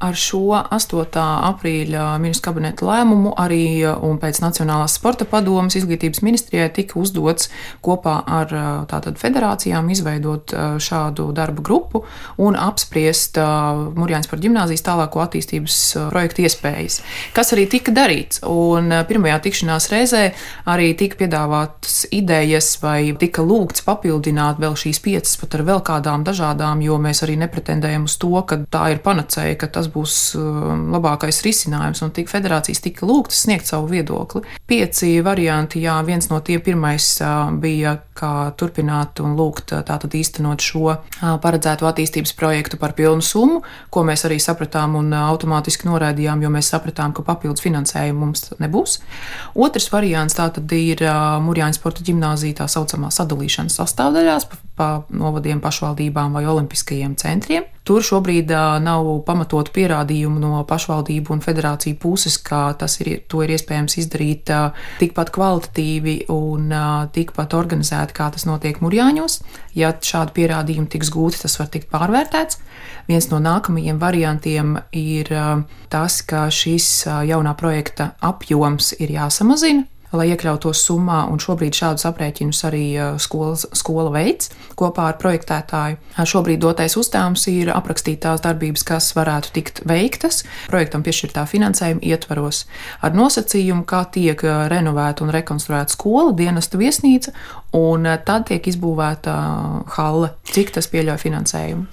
Ar šo 8. aprīļa ministru kabineta lēmumu arī un pēc Nacionālās sporta padomes izglītības ministrijai tika uzdots kopā ar tātad federācijām izveidot šādu darba grupu un apspriest Mūrjāņsporta ģimnāzijas tālāko attīstības projektu iespējas, kas arī tika darīts. Un pirmajā tikšanās reizē arī tika piedāvātas idejas vai tika lūgts papildināt vēl šīs 5 pat ar vēl kādām dažādām, jo mēs arī nepretendējam uz to, ka tā ir panacēja, ka tas būs labākais risinājums, un federācijas tika lūgtas sniegt savu viedokli. 5 varianti, jā, viens no tiem pirmais bija, kā turpināt un lūgt tātad īstenot šo paredzēto attīstības projektu par pilnu summu, ko mēs arī sapratām un automātiski noraidījām, jo mēs sapratām, ka papildus finansējumu mums nebūs. Otrs variants tātad ir Mūrjāņsporta ģimnāzija tā saucamā sadalīšanas sastāvdaļās pa novadiem, pašvaldībām vai olimpiskajiem centriem. Tur šobrīd nav pamatotu pierādījumu no pašvaldību un federāciju puses, ka to ir iespējams izdarīt tikpat kvalitatīvi un tikpat organizēti, kā tas notiek Mūrjāņos. Ja šādi pierādījumi tiks gūti, tas var tikt pārvērtēts. Viens no nākamajiem variantiem ir tas, ka šis jaunā projekta apjoms ir jāsamazina, lai iekļautos summā, un šobrīd šādus aprēķinus arī skola veids kopā ar projektētāju. Šobrīd dotais uzdevums ir aprakstīt tās darbības, kas varētu tikt veiktas projektam piešķirtā finansējuma ietvaros, ar nosacījumu, kā tiek renovēta un rekonstruēta skola, dienesta viesnīca, un tad tiek izbūvēta halle, cik tas pieļauj finansējumu.